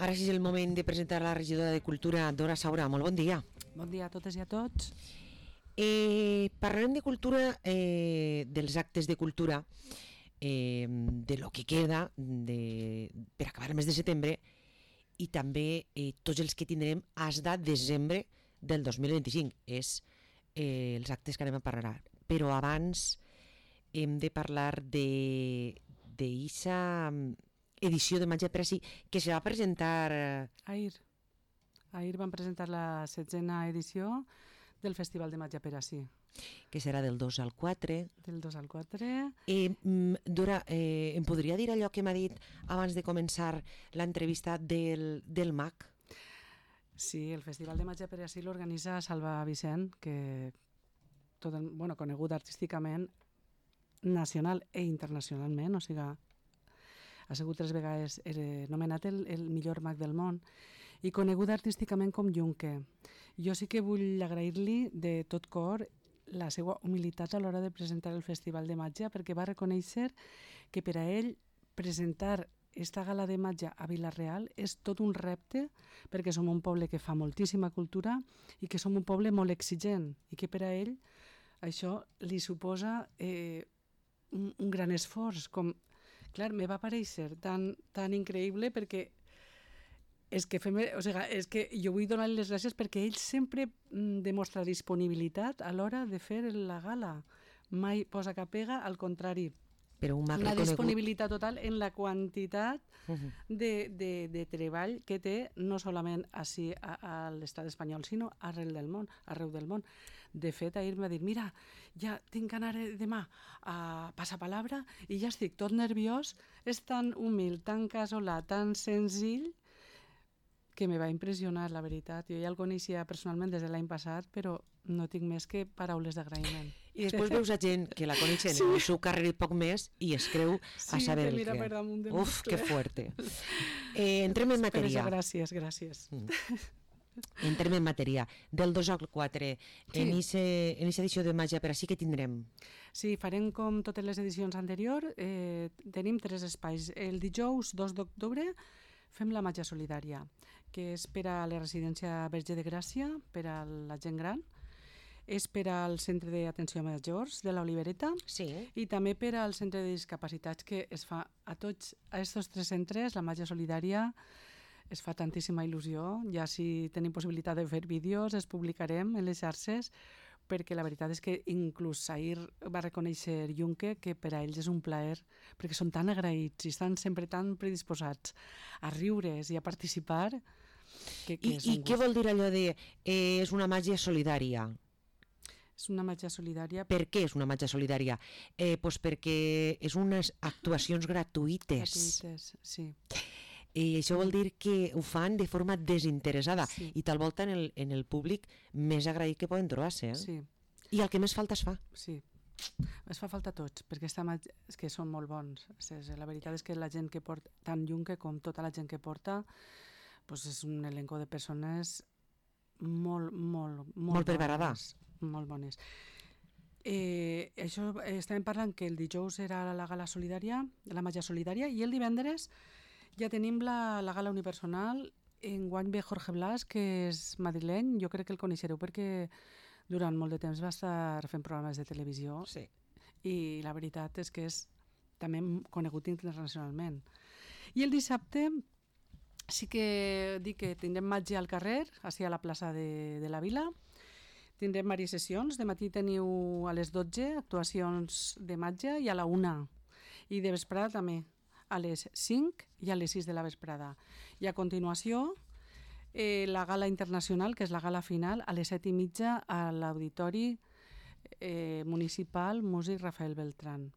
Ara sí és el moment de presentar la regidora de Cultura, Dora Saura. Molt bon dia. Bon dia a totes i a tots. Parlarem de cultura, dels actes de cultura, de lo que queda per acabar el mes de setembre i també tots els que tindrem fins a desembre del 2025. És els actes que anem a parlar. Però abans hem de parlar d'eixa edició de Matja per ací que se va presentar Ahir van presentar la 16a edició del Festival de Matja per ací, que serà del 2 al 4. Del 2 al 4. Dora, em podria dir allò que m'ha dit abans de començar l'entrevista del MAC? Sí, el Festival de Matja per ací l'organitza Salva Vicent, que conegut artísticament nacional i internacionalment, o sigui, ha sigut 3 vegades nomenat el millor mag del món i conegut artísticament com Junque. Jo sí que vull agrair-li de tot cor la seva humilitat a l'hora de presentar el Festival de Matja, perquè va reconèixer que per a ell presentar esta gala de Matja a Vila-real és tot un repte, perquè som un poble que fa moltíssima cultura i que som un poble molt exigent i que per a ell això li suposa un gran esforç. Clar, me va aparèixer tan increïble perquè és que jo vull donar les gràcies perquè ell sempre demostra disponibilitat a l'hora de fer la gala. Mai posa cap pega, al contrari. Però una disponibilitat total en la quantitat de treball que té no solament així a l'estat espanyol, sinó arreu del món. De fet, ahir em va dir, mira, ja tinc que anar demà a Passapalabra i ja estic tot nerviós, és tan humil, tan casolà, tan senzill, que me va impressionar, la veritat. Jo ja el coneixia personalment des de l'any passat, però no tinc més que paraules d'agraïment. I després veus a gent que la coneixen en el seu carrer poc més i es creu a saber el que... Uf, que fuerte. Entrem en matèria. Gràcies. Entrem en matèria. Del 2 al 4, en aquesta edició de Matja per ací, què tindrem? Sí, farem com totes les edicions anteriors. Tenim 3 espais. El dijous 2 d'octubre fem la Matja Solidària, que és per a la residència Verge de Gràcia, per a la gent gran, és per al centre d'atenció a majors de l'Olivereta, sí, i també per al centre de discapacitats, que es fa a tots aquests 3 centres. La Matja Solidària es fa tantíssima il·lusió. Ja si tenim possibilitat de fer vídeos els publicarem en les xarxes, perquè la veritat és que inclús ahir va reconèixer Junque que per a ells és un plaer, perquè són tan agraïts i estan sempre tan predisposats a riure's i a participar. I què vol dir allò de és una màgia solidària? És una màgia solidària. Per què és una màgia solidària? Pues perquè és unes actuacions gratuïtes. Gratuïtes, sí. I això vol dir que ho fan de forma desinteressada, sí, i tal volta en el públic més agraït que poden trobar-se. Sí. I el que més falta es fa. Sí, es fa falta a tots, perquè és que són molt bons. La veritat és que la gent que porta, tant Junque com tota la gent que porta, doncs és un elenco de persones molt preparades, molt bones. Això estàvem parlant que el dijous era la gala solidària, la Matja Solidària, i el divendres ja tenim la gala unipersonal. Enguany ve Jorge Blas, que és madrileny. Jo crec que el coneixereu perquè durant molt de temps va estar fent programes de televisió, sí, i la veritat és que és també conegut internacionalment. I el dissabte sí que dic que tindrem Matja al carrer, així a la plaça de la Vila. Tindrem diverses sessions. De matí teniu a les 12 actuacions de Matja i a la 1. I de vesprada també, a les 5 i a les 6 de la vesprada. I a continuació, la gala internacional, que és la gala final, a les 7:30 a l'Auditori Municipal Músic Rafael Beltrán.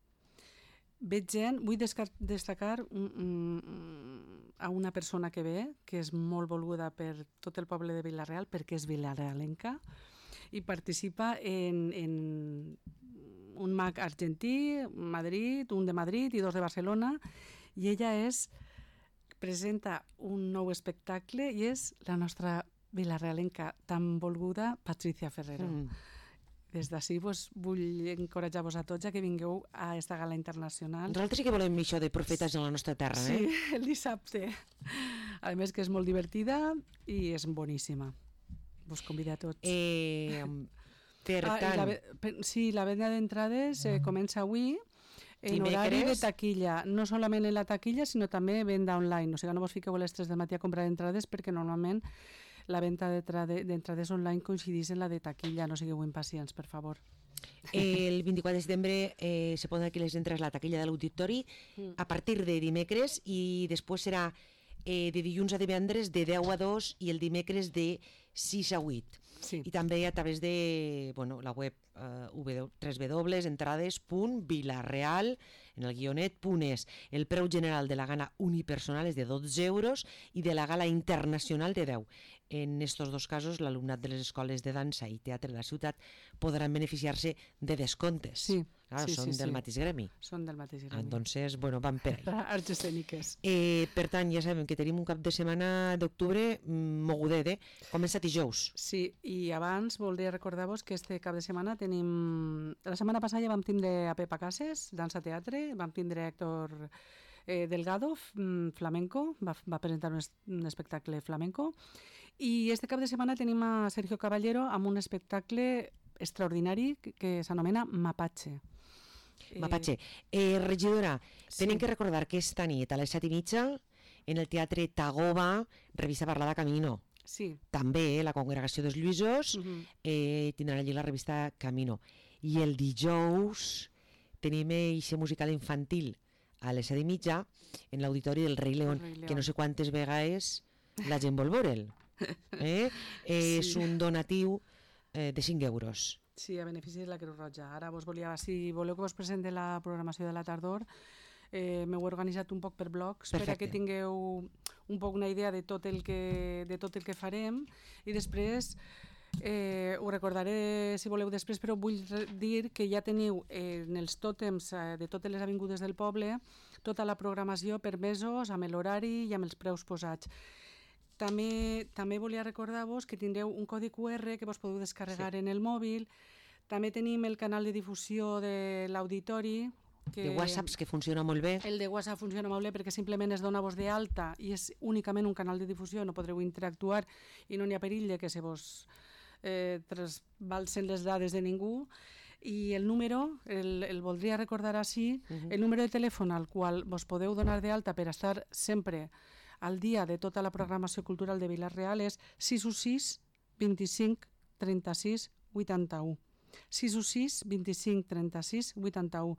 Veig gent, vull destacar a una persona que ve, que és molt volguda per tot el poble de Vila-real, perquè és vilarealenca, i participa en un mag argentí, Madrid, un de Madrid i 2 de Barcelona, i ella presenta un nou espectacle i és la nostra vilarealenca tan volguda, Patricia Ferrero. des d'ací vull encoratjar-vos a tots a que vingueu a esta gala internacional. Nosaltres sí que volem això de profetes en la nostra terra, Sí, el dissabte. A més que és molt divertida i és boníssima. Vos convido a tots. Per tant... Sí, la venda d'entrades comença avui en Dimecres. horari de taquilla, no solament en la taquilla, sinó també venda online. O sigui, no vos fiqueu a les 3 del matí a comprar entrades perquè normalment la venda d'entrades online coincideix en la de taquilla, no sigueu impacients, per favor. El 24 de setembre se poden aquí les entrades a la taquilla de l'auditori a partir de dimecres i després serà de dilluns a divendres de 10 a 2 i el dimecres de 6 a 8. Sí. I també a través de la web www.entrades.vilareal en el guionet.es. El preu general de la gala unipersonal és de 12 euros i de la gala internacional de 10. En estos dos casos, l'alumnat de les escoles de dansa i teatre de la ciutat podran beneficiar-se de descomptes. Sí. Claro, Sí, són sí, del sí. mateix gremi. Són del mateix gremi. Entonces, van per ahí. Arts escèniques. Per tant, ja sabem que tenim un cap de setmana d'octubre mogudet, comença dijous. Sí, i abans voldria recordar-vos que este cap de setmana tenim... La setmana passada ja vam tindre a Pepa Cases, dansa teatre, vam tindre Héctor Delgado, flamenco, va presentar un espectacle flamenco, i este cap de setmana tenim a Sergio Caballero amb un espectacle extraordinari que s'anomena Mapache. Mapache. Regidora, tenim que recordar que esta nit a les 7:30 en el Teatre Tagoba, revista parlada Camino. Sí. També la Congregació dels Lluïsos tindrà allí la revista Camino. I el dijous tenim eixe musical infantil a les 7:30 en l'auditori del Rei León, que no sé quantes vegades la gent vol veure'l. És un donatiu de 5 euros. Sí, a benefici de la Creu Roja. Ara si voleu que vos presente la programació de la tardor, m'heu organitzat un poc per blocs. Perfecte. Per a que tingueu un poc una idea de tot el que farem, i després ho recordaré si voleu després, però vull dir que ja teniu en els tòtems de totes les avingudes del poble tota la programació per mesos, amb l'horari i amb els preus posats. També volia recordar-vos que tindreu un codi QR que vos podeu descarregar en el mòbil. També tenim el canal de difusió de l'auditori. De WhatsApps, que funciona molt bé. El de WhatsApp funciona molt bé perquè simplement es dona vos d'alta i és únicament un canal de difusió, no podreu interactuar i no n'hi ha perill de que se vos trasbalsen les dades de ningú. I el número, el voldria recordar així, el número de telèfon al qual vos podeu donar d'alta per estar sempre al dia de tota la programació cultural de Vila-real és 616 25 36 81. 616 25 36 81.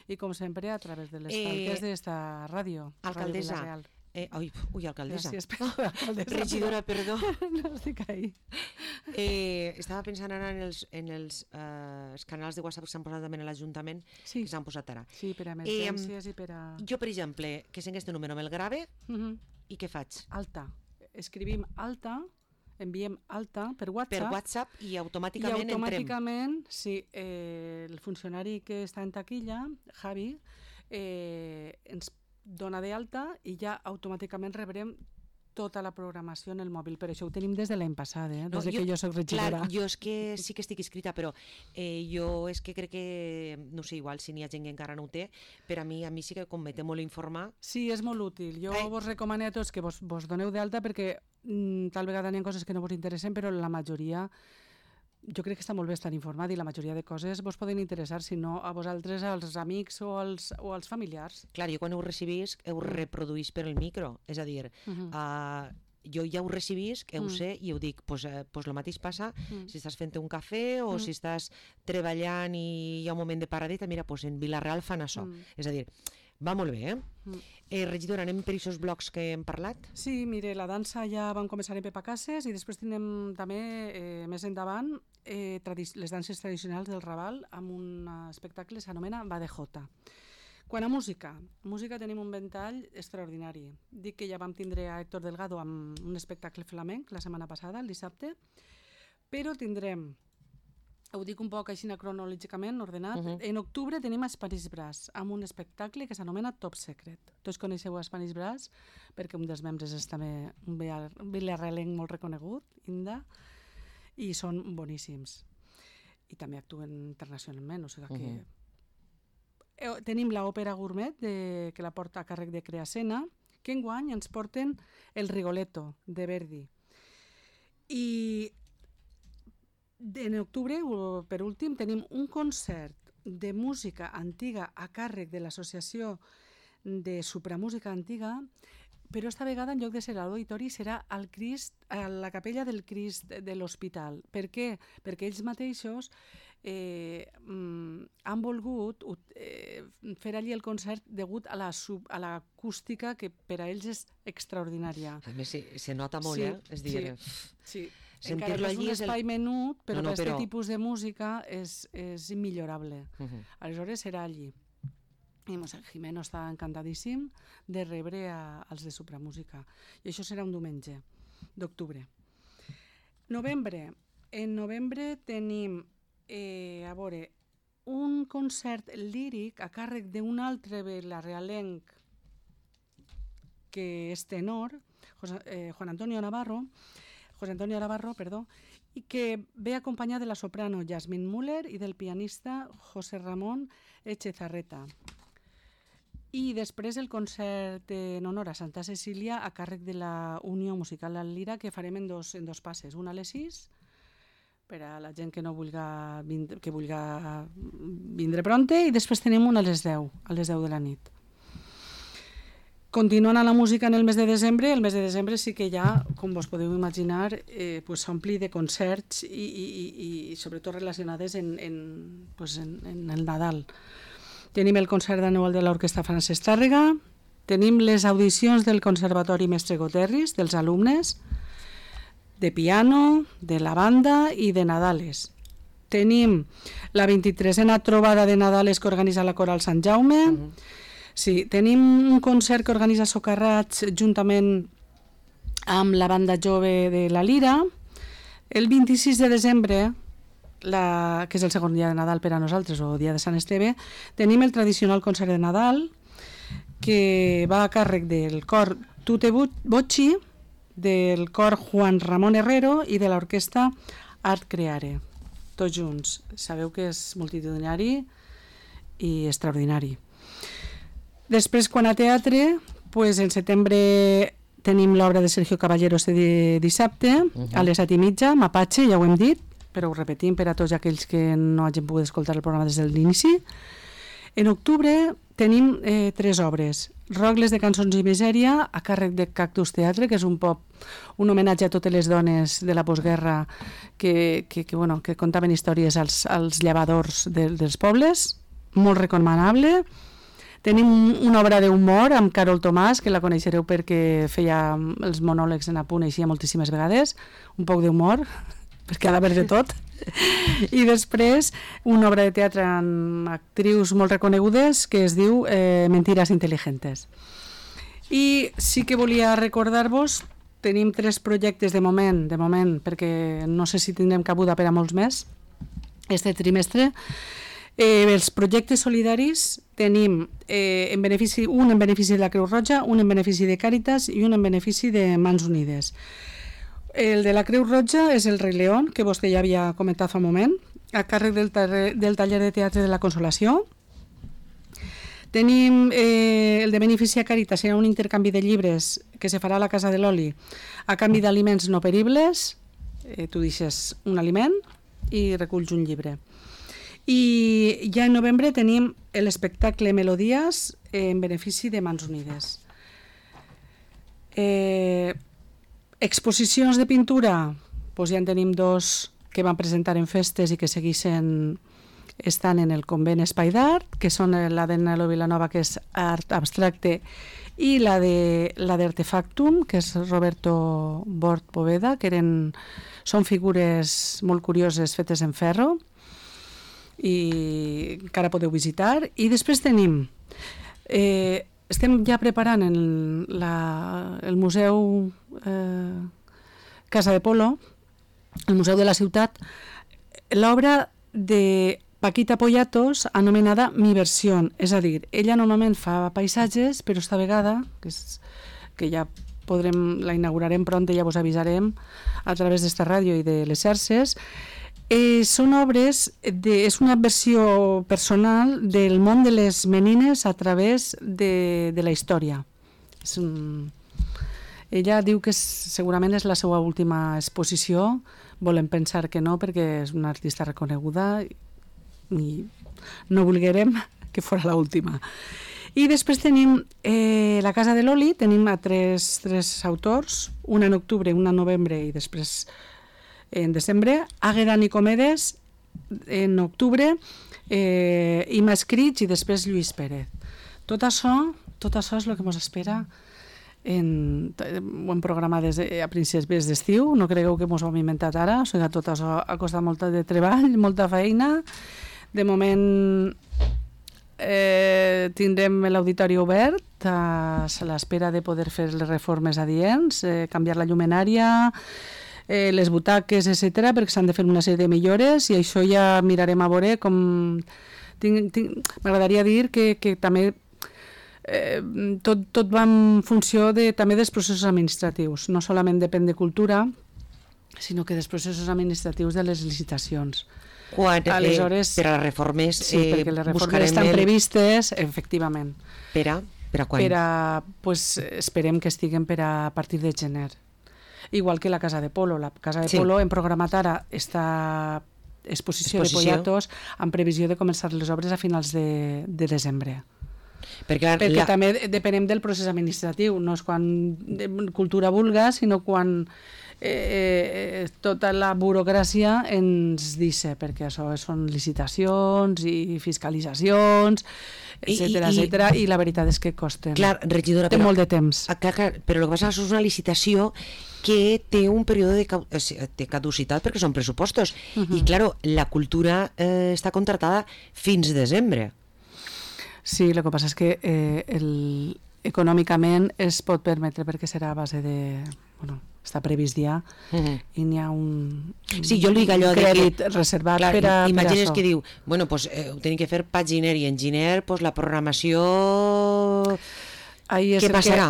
I com sempre a través de les falques d'esta ràdio. Alcaldessa. Alcaldessa. Gràcies, alcaldessa. Regidora, perdó. No estic ahí. Estava pensant ara en els canals de WhatsApp que s'han posat també a l'Ajuntament, que s'han posat ara. Sí, per a emergències i per a... Jo, per exemple, que sent este número me'l grave, i què faig? Alta. Escrivim alta, enviem alta per WhatsApp. Per WhatsApp i automàticament entrem. I automàticament, sí, el funcionari que està en taquilla, Javi, ens dona d'alta i ja automàticament rebrem tota la programació en el mòbil. Per això ho tenim des de l'any passat, des que jo soc regidora. Clar, jo és que sí que estic inscrita, però jo és que crec que, no sé, igual si n'hi ha gent que encara no ho té, per a mi sí que com me té molt informar. Sí, és molt útil. Jo vos recomano a tots que vos doneu d'alta perquè tal vegada n'hi ha coses que no vos interessen, però la majoria... Jo crec que està molt bé estar informat i la majoria de coses vos poden interessar, si no a vosaltres, als amics o als familiars. Clar, jo quan ho recibís, ho reproduís per el micro, és a dir, jo ja ho recibís, ho sé i ho dic, pues el mateix passa si estàs fent un cafè o si estàs treballant i hi ha un moment de paradeta, mira, pues en Vila-real fan això. És a dir, va molt bé, regidora, anem per aquests blocs que hem parlat? Sí, mire, la dansa ja vam començar en Pepa Cases i després tenim també, més endavant, les danses tradicionals del Raval amb un espectacle que s'anomena Badejota. Quant a música tenim un ventall extraordinari. Dic que ja vam tindre a Héctor Delgado amb un espectacle flamenc la setmana passada, el dissabte, però tindrem, ho dic un poc així cronològicament ordenat, en octubre tenim a Spanish Brass amb un espectacle que s'anomena Top Secret. Tots coneixeu a Spanish Brass perquè un dels membres és també un vilarealenc molt reconegut, Inda, i són boníssims. i també actuen internacionalment, o sigui que tenim l'òpera gourmet que la porta a càrrec de Creasena, que enguany ens porten el Rigoletto de Verdi. I en octubre, per últim, tenim un concert de música antiga a càrrec de l'Associació de Supramúsica Antiga, però esta vegada en lloc de ser a l'auditori serà al Crist, a la capella del Crist de l'Hospital. Per què? Perquè ells mateixos han volgut fer allí el concert degut a l'acústica que per a ells és extraordinària. A més, se nota molt, és dir... Sí. Encara que és un espai menut, però per aquest tipus de música és immillorable. Aleshores serà allí. I Jimeno està encantadíssim de rebre als de Supramúsica. I això serà un diumenge d'octubre. Novembre. En novembre tenim un concert líric a càrrec d'un altre vilarealenc que és tenor, José Antonio Navarro, i que ve acompanyat de la soprano Yasmín Müller i del pianista José Ramón Echezarreta. I després el concert en honor a Santa Cecília a càrrec de la Unió Musical Al Lira, que farem en dos passes, una a les 6 per a la gent que vulga vindre pronte, i després tenim una a les 10 de la nit. Continuant a la música en el mes de desembre sí que ja, com vos podeu imaginar, s'ompli de concerts i sobretot relacionades en el Nadal. Tenim el concert anual de l'Orquestra Francesc Tàrrega, tenim les audicions del Conservatori Mestre Goterris, dels alumnes, de piano, de la banda i de Nadales. Tenim la 23a trobada de Nadales que organitza la Coral Sant Jaume. Sí, tenim un concert que organitza Socarrats juntament amb la banda jove de la Lira. El 26 de desembre, que és el segon dia de Nadal per a nosaltres, o dia de Sant Esteve, tenim el tradicional concert de Nadal, que va a càrrec del cor Tute Bocci, del cor Juan Ramón Herrero i de l'orquestra Art Creare, tots junts. Sabeu que és multitudinari i extraordinari. Després, quan a teatre, en setembre tenim l'obra de Sergio Caballero de dissabte, a les 7:30, Mapache, ja ho hem dit, però ho repetim per a tots aquells que no hagin pogut escoltar el programa des de l'inici. En octubre tenim 3 obres. Rogles de cançons i misèria, a càrrec de Cactus Teatre, que és un homenatge a totes les dones de la postguerra que contaven històries als llevadors dels pobles, molt recomanable. Tenim una obra d'humor amb Carol Tomàs, que la coneixereu perquè feia els monòlegs en Apunt, eixia moltíssimes vegades, un poc d'humor, perquè ha d'haver de tot. I després una obra de teatre amb actrius molt reconegudes que es diu Mentiras Inteligentes. I sí que volia recordar-vos, tenim 3 projectes de moment, perquè no sé si tindrem cabuda per a molts més este trimestre. Els projectes solidaris tenim un en benefici de la Creu Roja, un en benefici de Càritas i un en benefici de Mans Unides. El de la Creu Roja és el Rei León, que vostè ja havia comentat fa un moment, a càrrec del taller de teatre de la Consolació. Tenim el de benefici a Càritas, serà un intercanvi de llibres que se farà a la Casa de l'Oli a canvi d'aliments no peribles. Tu deixes un aliment i reculls un llibre. I ja en novembre tenim l'espectacle Melodies en benefici de Mans Unides. Exposicions de pintura, ja en tenim 2 que van presentar en festes i que segueixen estan en el convent Espai d'Art, que són la de Nelo Vilanova, que és art abstracte, i la d'Artefactum, que és Roberto Bort Poveda, que són figures molt curioses fetes en ferro, i encara podeu visitar. I després tenim estem ja preparant el Museu Casa de Polo, el Museu de la Ciutat, l'obra de Paquita Poyatos anomenada Mi Versión, és a dir, ella normalment fa paisatges, però esta vegada, que ja la inaugurarem pront, ja vos avisarem a través d'esta ràdio i de les xarxes, Són obres, és una versió personal del món de les menines a través de la història. Ella diu que segurament és la seva última exposició, volem pensar que no, perquè és una artista reconeguda i no volguérem que fos l'última. I després tenim la Casa de l'Oli, tenim a tres autors, una en octubre, una en novembre i després en desembre, Àgueda Nicomedes en octubre, Ima Escrits i després Lluís Pérez. Tot això és el que ens espera ho hem programat a principis d'estiu, no cregueu que ens ho hem inventat ara, o sigui, tot això ha costat molt de treball, molta feina. De moment tindrem l'auditori obert a l'espera de poder fer les reformes adients, canviar la llumenària, les butaques, etc., perquè s'han de fer una sèrie de millores i això ja mirarem a veure com... M'agradaria dir que també tot va en funció també dels processos administratius. No solament depèn de cultura, sinó que dels processos administratius de les licitacions. Aleshores, per a les reformes, sí, perquè les reformes estan previstes, efectivament. Per a quan? Esperem que estiguen a partir de gener. Igual que la Casa de Polo. La Casa de Polo hem programat ara esta exposició de Pollatos en previsió de començar les obres a finals de desembre. Perquè també depenem del procés administratiu, no és quan cultura vulga, sinó quan tota la burocràcia ens deixa, perquè això són licitacions i fiscalitzacions, etcètera, i la veritat és que costen. Clar, regidora, té molt de temps. Però el que passa és una licitació que té un període de caducitat perquè són pressupostos. I, clar, la cultura està contratada fins desembre. Sí, el que passa és que econòmicament es pot permetre perquè serà a base de... Bueno, està previst ja i n'hi ha un crèdit reservat per a això. Imagines que diu, bueno, pues ho tenim que fer pa gener i en gener pues la programació... Què passarà?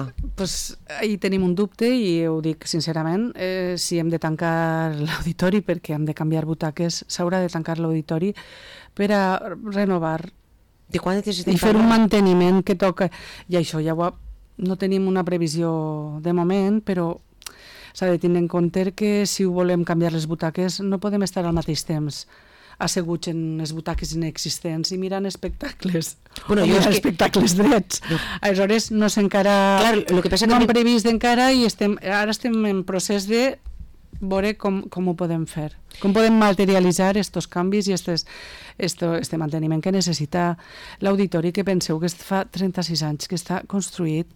Ahir tenim un dubte i ho dic sincerament, si hem de tancar l'auditori perquè hem de canviar butaques, s'haurà de tancar l'auditori per a renovar i fer un manteniment que toca, i això ja no tenim una previsió de moment, però s'ha de tenir en compte que si ho volem canviar les butaques no podem estar al mateix temps asseguts en les butaques inexistents i mirant espectacles, espectacles drets. Aleshores no s'encara, no hem previst encara i ara estem en procés de veure com ho podem fer, com podem materialitzar estos canvis i este manteniment que necessita l'auditori, que penseu que fa 36 anys que està construït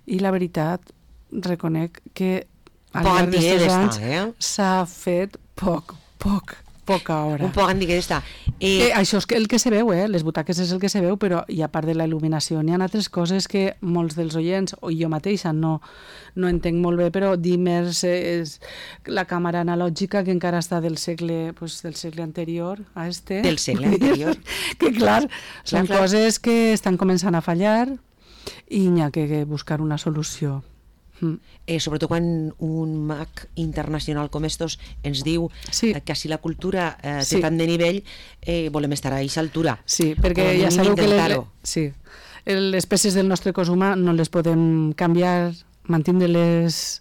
i la veritat reconec que al llarg d'aquests anys s'ha fet poca hora. Un poc antiga està. Això és el que se veu, les butaques és el que se veu, però i a part de la il·luminació n'hi ha altres coses que molts dels oients, o jo mateixa no entenc molt bé, però dimmers la càmera analògica que encara està del segle anterior a este. Del segle anterior. Que clar, són coses que estan començant a fallar i n'hi ha que buscar una solució. Sobretot quan un mag internacional com estos ens diu que si la cultura té tant de nivell volem estar a aquesta altura. Sí, perquè ja sabeu que les peces del nostre cos humà no les podem canviar, mantindre-les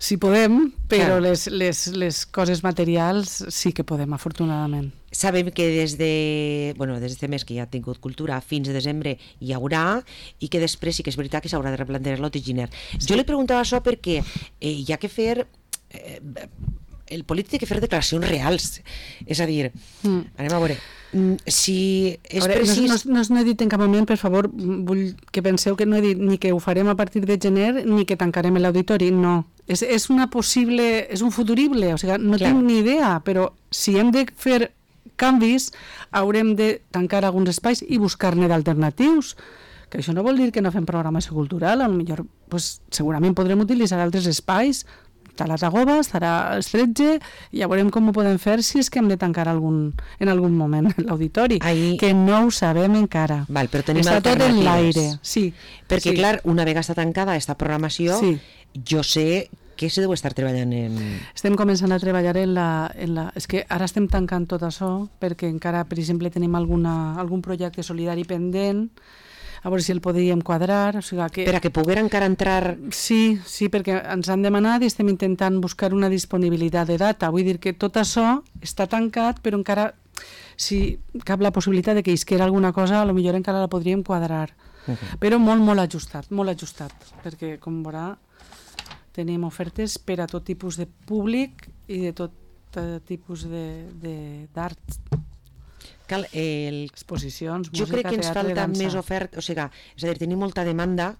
si podem, però les coses materials sí que podem, afortunadament. Sabem que des d'aquest mes que ja ha tingut cultura fins a desembre hi haurà i que després sí que és veritat que s'haurà de replantejar l'Otiginer. Jo li preguntava això perquè hi ha que fer... El polític té que fer declaracions reals. És a dir, anem a veure... Si és precís... No he dit en cap moment, per favor, vull que penseu que no he dit ni que ho farem a partir de gener ni que tancarem l'auditori, no. És una possible... És un futurible, o sigui, no tinc ni idea, però si hem de fer canvis haurem de tancar alguns espais i buscar-ne d'alternatius, que això no vol dir que no fem programació cultural, potser segurament podrem utilitzar altres espais, estarà a Tagoba, estarà a Estretge, i ja veurem com ho podem fer si és que hem de tancar en algun moment l'auditori, que no ho sabem encara. Està tot en l'aire. Sí, perquè clar, una vegada està tancada aquesta programació, jo sé què se deu estar treballant en...? Estem començant a treballar en la... És que ara estem tancant tot això perquè encara, per exemple, tenim algun projecte solidari pendent, a veure si el podríem quadrar. O sigui que... Per a que poguera encara entrar... Sí, perquè ens han demanat i estem intentant buscar una disponibilitat de data. Vull dir que tot això està tancat, però encara, si cap la possibilitat de que isquera alguna cosa, potser encara la podríem quadrar. Però molt ajustat, perquè com veurà tenim ofertes per a tot tipus de públic i de tot tipus d'art. Exposicions, música, jo crec que ens falta dansa. més oferta, o sigui, és a dir, tenim molta demanda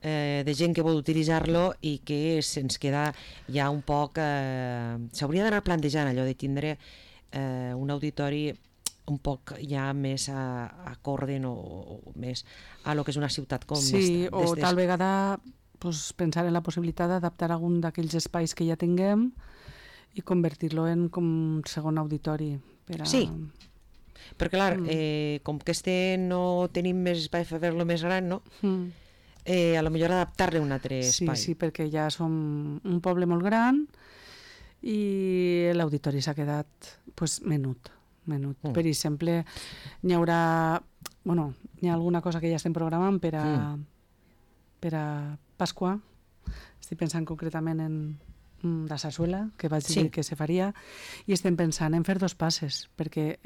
de gent que vol utilitzar-lo i que se'ns queda ja un poc... S'hauria d'anar plantejant allò de tindre un auditori un poc ja més acorde o més a lo que és una ciutat com esta. Sí, o tal vegada pensar en la possibilitat d'adaptar algun d'aquells espais que ja tinguem i convertir-lo en com un segon auditori. Sí, perquè clar, com que no tenim més espai per fer-lo més gran, no? A lo millor adaptar-li un altre espai. Sí, perquè ja som un poble molt gran i l'auditori s'ha quedat menut. Per exemple, n'hi haurà... Bueno, hi ha alguna cosa que ja estem programant per a Pasqua. Estic pensant concretament en la sarsuela, que vaig dir que se faria, i estem pensant en fer 2 passes, perquè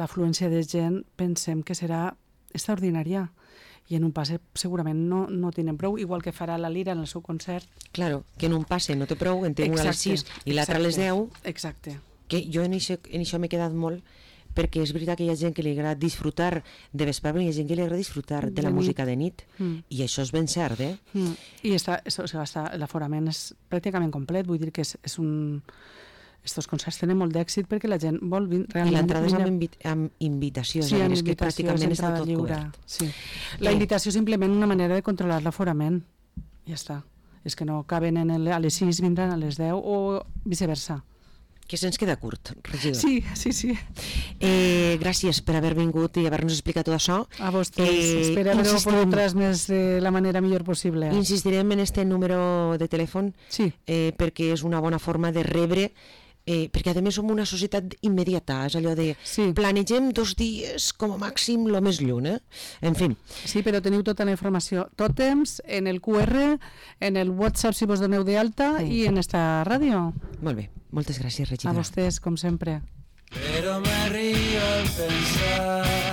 l'afluència de gent pensem que serà extraordinària, i en un passe segurament no tenen prou, igual que farà la Lira en el seu concert. Claro, que en un passe no té prou, en té un a les 6 i l'altre a les 10. Exacte. Que jo en això m'he quedat molt, perquè és veritat que hi ha gent que li agrada disfrutar de vesprada i hi ha gent que li agrada disfrutar de la música de nit, i això és ben cert, I l'aforament és pràcticament complet, vull dir que és un... Estos concerts tenen molt d'èxit perquè la gent vol realment... I l'entrada és amb invitació, és que pràcticament està tot cobert. Sí. La invitació és simplement una manera de controlar l'aforament. Ja està. És que no caben a les 6, vindran a les 10 o viceversa. Que se'ns queda curt, regidor. Sí. Gràcies per haver vingut i haver-nos explicat tot això. A vostès. Espero haver-ho pogut transmès de la manera millor possible. Insistirem en este número de telèfon perquè és una bona forma de rebre, perquè a més som una societat immediata, és allò de planegem 2 dies com a màxim lo més lluny, en fi. Sí, però teniu tota la informació tot temps en el QR, en el WhatsApp si vos doneu d'alta i en esta ràdio. Molt bé, moltes gràcies, regidora. A vostès, com sempre. Pero me río al pensar